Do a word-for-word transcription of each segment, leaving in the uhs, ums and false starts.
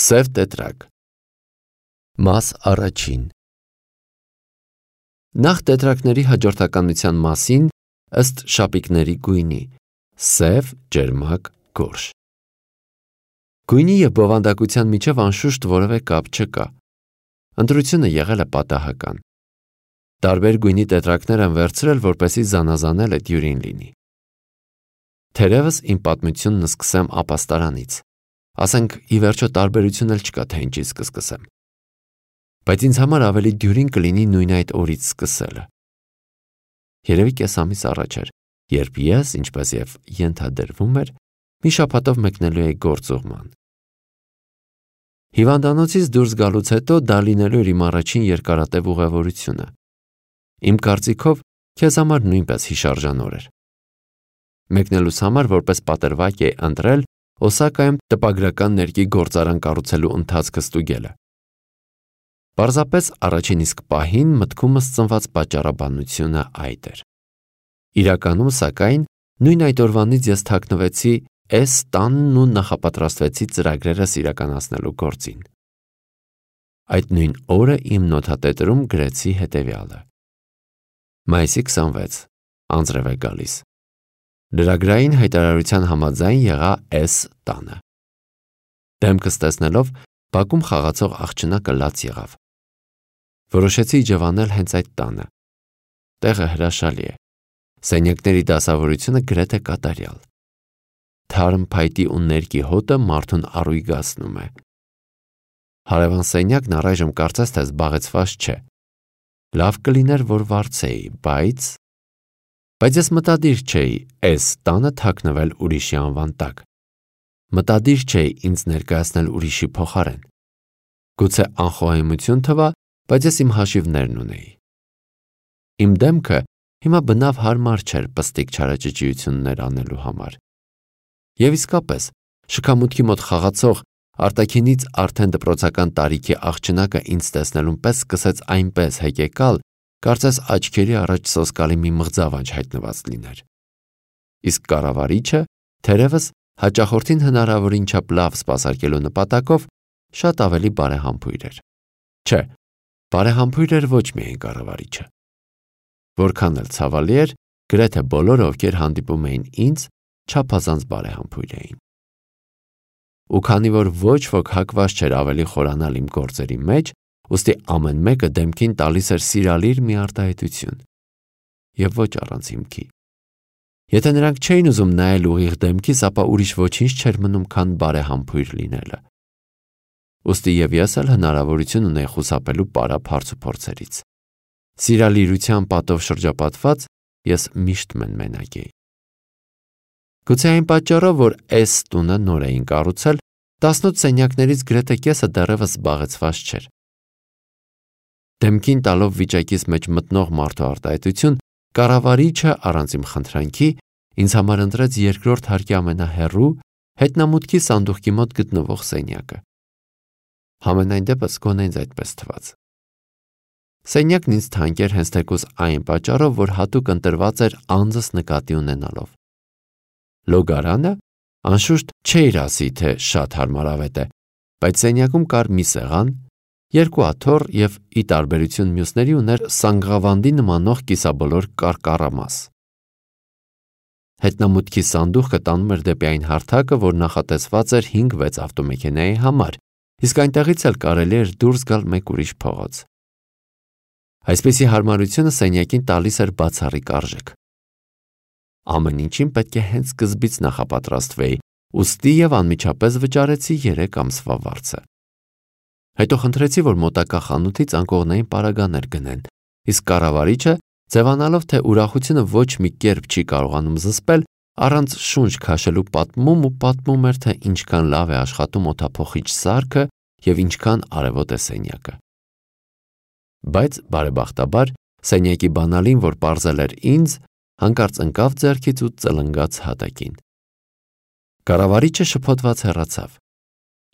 Սև տետրակ։ Մաս առաջին։ Նախ տետրակների հաջորդականության մասին ըստ շապիկների գույնի՝ սև, ջերմակ, գորշ։ Գույնի և բովանդակության միջև անշուշտ որևէ կապ չկա։ Ընտրությունը եղել է պատահական։ Տարբեր գույնի տետրակներ են վերցրել, որպեսզի զանազանել այդ յուրին լինի։ Թերևս իմ պատմությունն սկսեմ ապաստարանից։ Ասենք, ի վերջո տարբերություն էլ չկա, թե ինչից կսկսեմ։ Բայց ինձ համար ավելի դյուրին կլինի նույն այդ օրից սկսելը։ Երևի կես ամիս առաջ էր, երբ ես, ինչպես և ենթադրվում էր, մի շաբաթով մեկնելու էի գործուղման։ Հիվանդանոցից դուրս գալուց հետո դա լինելու էր իմ առաջին երկարատև ուղևորությունը։ Իմ կարծիքով, քեզ համար նույնպես հիշարժան օր էր։ Մեկնելուս համար որպես պատրվակ էի ընտրել Օսակայում տպագրական ներկի գործարան կառուցելու ընթացքը ստուգելը։ Պարզապես առաջին իսկ պահին մտքումս ծնված պատճառաբանությունը այդ էր։ Իրականում, սակայն, նույն այդ օրվանից ես թաքնվեցի S տանն ու նախապատրաստվեցի ծրագրերս իրականացնելու գործին։ Այդ նույն օրը իմ նոթատետրում գրեցի հետևյալը. Մայիսի քսանվեց, անձրև է գալիս։ Լրագրային հայտարարության համաձայն եղա S տանը։ Դեմքս տեսնելով բակում խաղացող աղջնակը լաց եղավ։ Որոշեցի իջևանել հենց այդ տանը։ Տեղը հրաշալի է։ Սենյակների դասավորությունը գրեթե կատարյալ։ Թարմ փայտի ու ներկի հոտը մարդուն առույգացնում է։ Հարևան սենյակն առայժմ կարծես թե զբաղեցված չէ։ Լավ կլիներ, որ վարձեի, բայց… Բայց ես մտադիր չէի S տանը թաքնվել ուրիշի անվան տակ։ Մտադիր չէի ինձ ներկայացնել ուրիշի փոխարեն։ Գուցե անխոհեմություն թվա, բայց ես իմ հաշիվներն ունեի։ Իմ դեմքը հիմա բնավ հարմար չէր պստիկ չարաճճիություններ անելու համար։ Եվ իսկապես, շքամուտքի մոտ խաղացող, արտաքինից արդեն դպրոցական տարիքի աղջնակը ինձ տեսնելուն պես սկսեց այնպես հեկեկալ, կարծես աչքերի առաջ սոսկալի մի մղձավանջ հայտնված լիներ։ Իսկ կառավարիչը, թերևս, հաճախորդին հնարավորին չափ լավ սպասարկելու նպատակով շատ ավելի բարեհամբույր էր։ Չէ, բարեհամբույր էր ոչ միայն կառավարիչը։ Որքան էլ ցավալի էր, գրեթե բոլորը, ովքեր հանդիպում էին ինձ, չափազանց բարեհամբույր էին։ Ու քանի որ ոչ ոք հակված չէր ավելի խորանալ իմ գործերի մեջ, ուստի ամեն մեկը դեմքին տալիս էր սիրալիր մի արտահայտություն։ Եվ ոչ առանց հիմքի։ Եթե նրանք չէին ուզում նայել ուղիղ դեմքիս, ապա ուրիշ ոչինչ չէր մնում, քան բարեհամբույր լինելը։ Ուստի և ես էլ հնարավորություն ունեի խուսափելու պարապ հարցուփորձերից։ Սիրալիրության պատով շրջապատված ես միշտ մենմենակ էի։ Գուցե այն պատճառով, որ S տունը նոր էին կառուցել, տասնութ սենյակներից գրեթե կեսը դեռևս զբաղեցված չէր։ Դեմքին տալով վիճակից մեջ մտնող մարդու արտահայտություն, կառավարիչը առանց իմ խնդրանքի ինձ համար ընտրեց երկրորդ հարկի ամենահեռու, հետնամուտքի սանդուղքի մոտ գտնվող սենյակը։ Համենայն դեպս գոնե ինձ այդպես թվաց։ Սենյակն ինձ թանկ էր հենց թեկուզ այն պատճառով, որ հատուկ ընտրված էր անձս նկատի ունենալով։ Լոգարանը, անշուշտ չէիր ասի, թե շատ հարմարավետ է, բայց սենյակում կար մի սեղան, երկու աթոռ և ի տարբերություն մյուսների ուներ սանգղավանդի նմանող կիսաբոլոր կարկառամաս։ Հետնամուտքի սանդուղքը տանում էր դեպի այն հարթակը, որ նախատեսված էր հինգ-վեց ավտոմեքենայի համար, իսկ այնտեղից էլ կարելի էր դուրս գալ մեկ ուրիշ փողոց։ Այսպիսի հարմարությունը սենյակին տալիս էր բացառիկ արժեք։ Ամեն ինչին պետք է հենց սկզբից նախապատրաստվեի, ուստի և անմիջապես վճարեցի երեք ամսվա վարձը։ Հետո խնդրեցի, որ մոտակա խանութից անկողնային պարագաներ գնեն, իսկ կառավարիչը, ձևանալով, թե ուրախությունը ոչ մի կերպ չի կարողանում զսպել, առանց շունչ քաշելու պատմում ու պատմում էր, թե ինչքան լավ է աշխատում օդափոխիչ սարքը և ինչքան արևոտ է սենյակը։ Բայց, բարեբախտաբար, սենյակի բանալին, որ պարզել էր ինձ, հանկարծ ընկավ ձեռքից ու ծլնգաց հատակին։ Կառավարիչը շփոթված հեռացավ։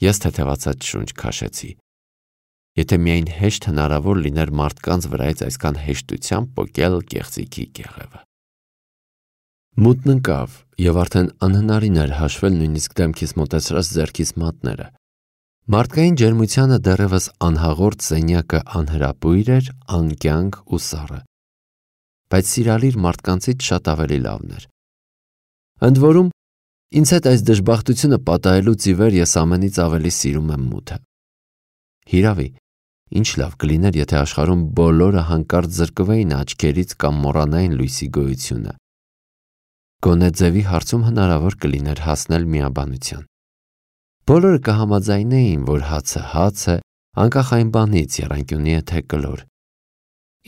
Ես թեթևացած շունչ քաշեցի։ Եթե միայն հեշտ հնարավոր լիներ մարդկանց վրայից այսքան հեշտությամբ պոկել կեղծիքի կեղևը։ Մութն ընկավ, և արդեն անհնարին էր հաշվել նույնիսկ դեմքիս մոտեցրած ձեռքիս մատները։ Մարդկային ջերմությանը դեռևս անհաղորդ սենյակը անհրապույր էր, անկյանք ու սառը, բայց սիրալիր մարդկանցից շատ ավելի լավն էր։ Ընդ որում, ինձ հետ այս դժբախտությունը պատահելուց ի վեր ես ամենից ավելի սիրում եմ մութը։ Հիրավի, ինչ լավ կլիներ, եթե աշխարհում բոլորը հանկարծ զրկվեին աչքերից կամ մոռանային լույսի գոյությունը։ Գոնե ձևի հարցում հնարավոր կլիներ հասնել միաբանության։ Բոլորը կհամաձայնեին, որ հացը հաց է, անկախ այն բանից, եռանկյունի է թե կլոր։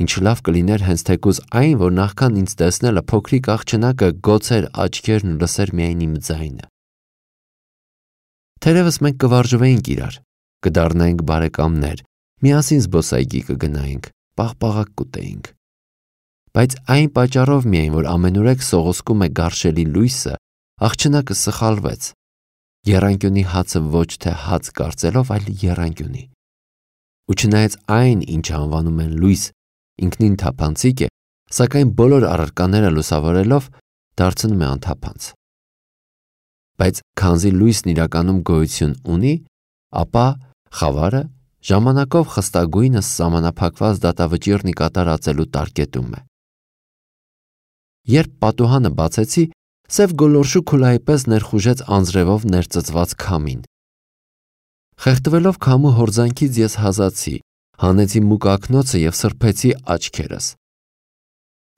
Ինչ լավ կլիներ հենց թեկուզ այն, որ նախքան ինձ տեսնելը փոքրիկ աղջնակը գոցեր աչքերն ու լսեր միայն իմ ձայնը։ Թերևս մենք կվարժվեինք իրար, կդառնայինք բարեկամներ, միասին զբոսայգի կգնայինք, պաղպաղակ կուտեինք։ Բայց այն պատճառով միայն, որ ամենուրեք սողոսկում է գարշելի լույսը, աղջնակը սխալվեց, եռանկյունի հացը ոչ թե հաց կարծելով, այլ եռանկյունի։ Ու չնայած այն, ինչ անվանում են լույս, ինքնին թափանցիկ է, սակայն բոլոր առարկաները լուսավորելով դարձնում է անթափանց։ Բայց քանզի լույսն իրականում գոյություն ունի, ապա խավարը ժամանակով խստագույնս սահմանափակված դատավճիռն ի կատար ածելու տարկետում է։ Երբ պատուհանը բացեցի, սև գոլորշու քուլայի պես ներխուժեց անձրևով ներծծված քամին։ Խեղդվելով քամու հորձանքից ես հազացի, հանեցի մուկ ակնոցը և սրբեցի աչքերս։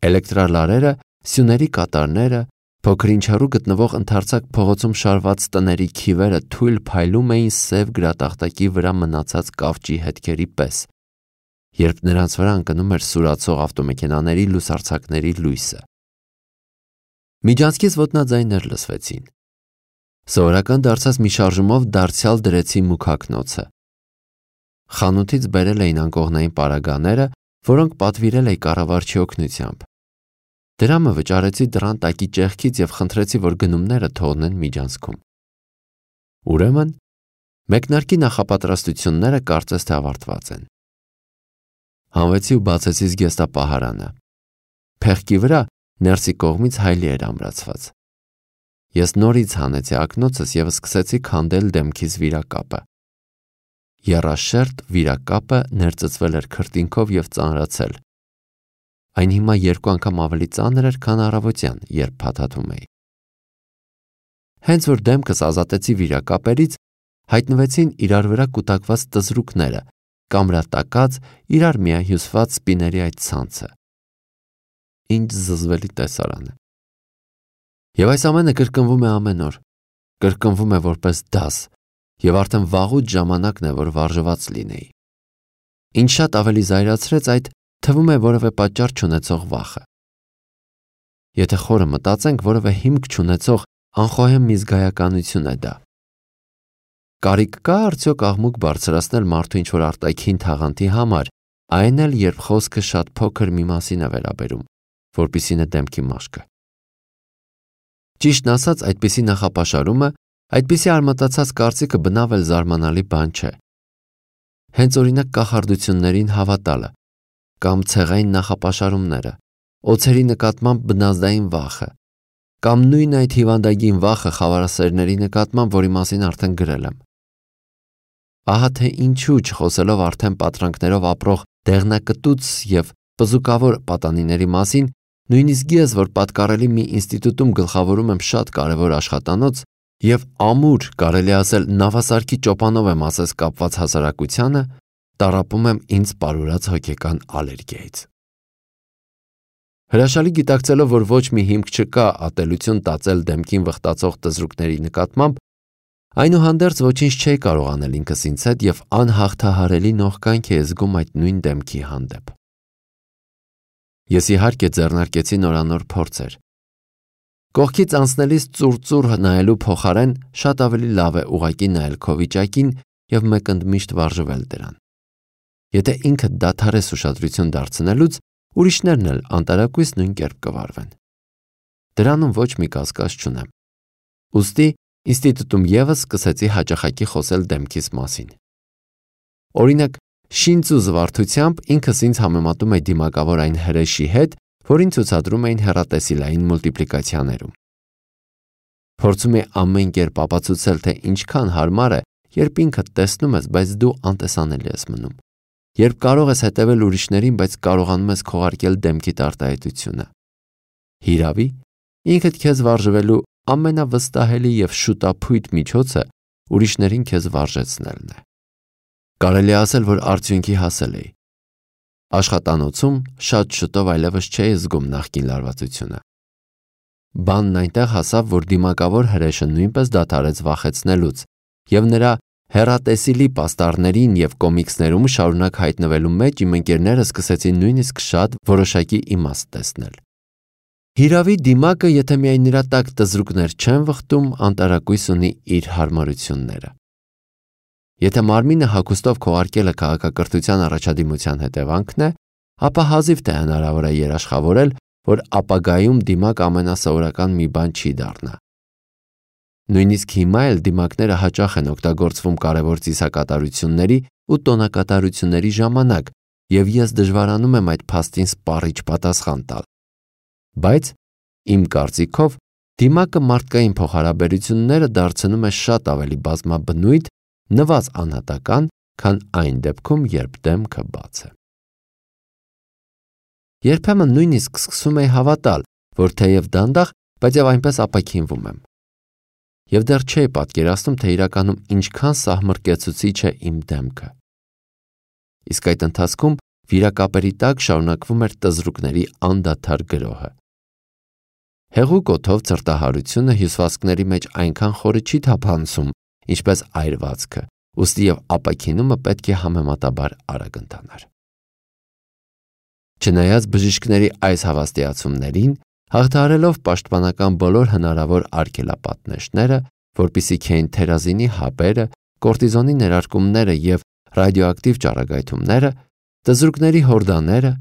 Էլեկտրալարերը, սյուների կատարները, փոքր-ինչ հեռու գտնվող ընդարձակ փողոցում շարված տների քիվերը թույլ փայլում էին սև գրատախտակի վրա մնացած կավճի հետքերի պես, երբ նրանց վրա ընկնում էր սուրացող ավտոմեքենաների լուսարձակների լույսը։ Միջանցքից ոտնաձայներ լսվեցին։ Սովորական դարձած մի շարժումով դարձյալ դրեցի մուգ ակնոցը։ Խանութից բերել էին անկողնային պարագաները, որոնք պատվիրել էի կառավարչի օգնությամբ։ Դրամը վճարեցի դռան տակի ճեղքից և խնդրեցի, որ գնումները թողնեն միջանցքում։ Ուրեմն, մեկնարկի նախապատրաստությունները կարծես թե ավարտված են։ Հանվեցի ու բացեցի զգեստապահարանը։ Փեղկի վրա ներսի կողմից հայլի էր ամրացված։ Ես նորից հանեցի ակնոցս և սկսեցի քանդել դեմքիս վիրակապը։ Եռաշերտ վիրակապը ներծծվել էր քրտինքով և ծանրացել։ Այն հիմա երկու անգամ ավելի ծանր էր, քան առավոտյան, երբ փաթաթում էի։ Հենց որ դեմքս ազատեցի վիրակապերից, հայտնվեցին իրար վրա կուտակված տզրուկները, կամրատակած, իրար միահյուսված սպիների այդ ցանցը։ Ինչ զզվելի տեսարան է։ Եվ այս ամենը կրկնվում է ամեն օր, կրկնվում է որպես դաս, և արդեն վաղուց ժամանակն է, որ վարժված լինեի։ Ինչ շատ ավելի զայրացրեց այդ, թվում է որևէ պատճառ չունեցող վախը։ Եթե խորը մտածենք, որևէ հիմք չունեցող անխոհեմ մի զգայականություն է դա։ Կարիք կա արդյոք աղմուկ բարձրացնել մարդու ինչ-որ արտաքին թաղանթի համար, այն էլ երբ խոսքը շատ փոքր մի մասին է վերաբերում, որպիսին է դեմքի մաշկը։ Ճիշտն ասած, այդպիսի նախապաշարումը, այդպիսի արմատացած կարծիքը բնավ էլ զարմանալի բան չէ։ Հենց օրինակ կախարդություններին հավատալը, կամ ցեղային նախապաշարումները, օձերի նկատմամբ բնազդային վախը, կամ նույն այդ հիվանդագին վախը խավարասերների նկատմամբ, որի մասին արդեն գրել եմ։ Ահա թե ինչու, չխոսելով արդեն պատրանքներով ապրող դեղնակտուց և պզուկավոր պատանիների մասին, նույնիսկ ես, որ պատկառելի մի ինստիտուտում գլխավորում եմ շատ կարևոր աշխատանոց և ամուր, կարելի ասել, նավասարքի ճոպանով եմ ասես կապված հասարակությանը, տառապում եմ ինձ պարուրած հոգեկան ալերգիայից։ Հրաշալի գիտակցելով, որ ոչ մի հիմք չկա ատելություն տածել դեմքին վխտացող տզրուկների նկատմամբ, այնուհանդերձ ոչինչ չէի կարող անել ինքս ինձ հետ և անհաղթահարելի նողկանք էի զգում այդ նույն դեմքի հանդեպ։ Ես իհարկե ձեռնարկեցի նորանոր փորձեր։ Կողքից անցնելիս ծուռ-ծուռ նայելու փոխարեն շատ ավելի լավ է ուղղակի նայել քո վիճակին և մեկընդմիշտ վարժվել դրան։ Եթե ինքդ դադարես ուշադրություն դարձնելուց, ուրիշներն էլ անտարակույս նույն կերպ կվարվեն։ Դրանում ոչ մի կասկած չունեմ։ Ուստի ինստիտուտում ևս սկսեցի հաճախակի խոսել դեմքիս մասին։ Օրինակ, շինծ ու զվարթությամբ ինքս ինձ համեմատում էի դիմակավոր այն հրեշի հետ, որին ցուցադրում էին հեռատեսիլային մուլտիպլիկացիաներում։ Փորձում էի ամեն կերպ ապացուցել, թե ինչքան հարմար է երբ ինքդ տեսնում ես, բայց դու անտեսանելի ես մնում, երբ կարող ես հետևել ուրիշներին, բայց կարողանում ես քողարկել դեմքիդ արտահայտությունը։ Հիրավի, ինքդ քեզ վարժվելու ամենավստահելի և շուտափույթ միջոցը ուրիշներին քեզ վարժեցնելն է։ Կարելի է ասել, որ արդյունքի հասել էի։ Աշխատանոցում շատ շուտով այլևս չէի զգում նախկին լարվածությունը։ Բանն այնտեղ հասավ, որ դիմակավոր հրեշը նույնպես դադարեց վախեցնելուց, և նրա հեռատեսիլի պաստառներին և կոմիքսներում շարունակ հայտնվելու մեջ իմ ընկերները սկսեցին նույնիսկ շատ որոշակի իմաստ տեսնել։ Հիրավի, դիմակը, եթե միայն նրա տակ տզրուկներ չեն վխտում, անտարակույս ունի իր հարմարությունները։ Եթե մարմինը հագուստով քողարկելը քաղաքակրթության առաջադիմության հետևանքն է, ապա հազիվ թե հնարավոր է երաշխավորել, որ ապագայում դիմակ ամենասովորական մի բան չի դառնա։ Նույնիսկ հիմա էլ դիմակները հաճախ են օգտագործվում կարևոր ծիսակատարությունների ու տոնակատարությունների ժամանակ, և ես դժվարանում եմ այդ փաստին սպառիչ պատասխան տալ։ Բայց, իմ կարծիքով, դիմակը մարդկային փոխհարաբերությունները դարձնում է շատ ավելի բազմաբնույթ, նվազ անհատական, քան այն դեպքում, երբ դեմքը բաց է։ Երբեմն նույնիսկ սկսում էի հավատալ, որ թեև դանդաղ, բայց և այնպես ապաքինվում եմ։ Եվ դեռ չէի պատկերացնում, թե իրականում ինչքան սահմռկեցուցիչ է իմ դեմքը։ Իսկ այդ ընթացքում վիրակապերի տակ շարունակվում էր տզրուկների անդադար գրոհը։ Հեղուկ օդով ցրտահարությունը հյուսվածքների մեջ այնքան խորը չի թափանցում, ինչպես այրվածքը, ուստի և ապաքինումը պետք է համեմատաբար արագ ընթանար։ Չնայած բժիշկների այս հավաստիացումներին, հաղթահարելով պաշտպանական բոլոր հնարավոր արգելապատնեշները, որպիսիք էին թերազինի հապերը, կորտիզոնի ներարկումները և ռադիոակտիվ ճառագայթումները, տզրուկների հորդաները,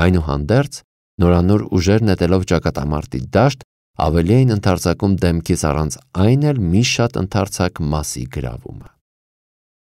այնուհանդերձ, նորանոր ուժեր նետելով ճակատամարտի դաշտ, ավելի էին ընդարձակում դեմքից առանց այն էլ մի շատ ընդարձակ մասի գրավումը։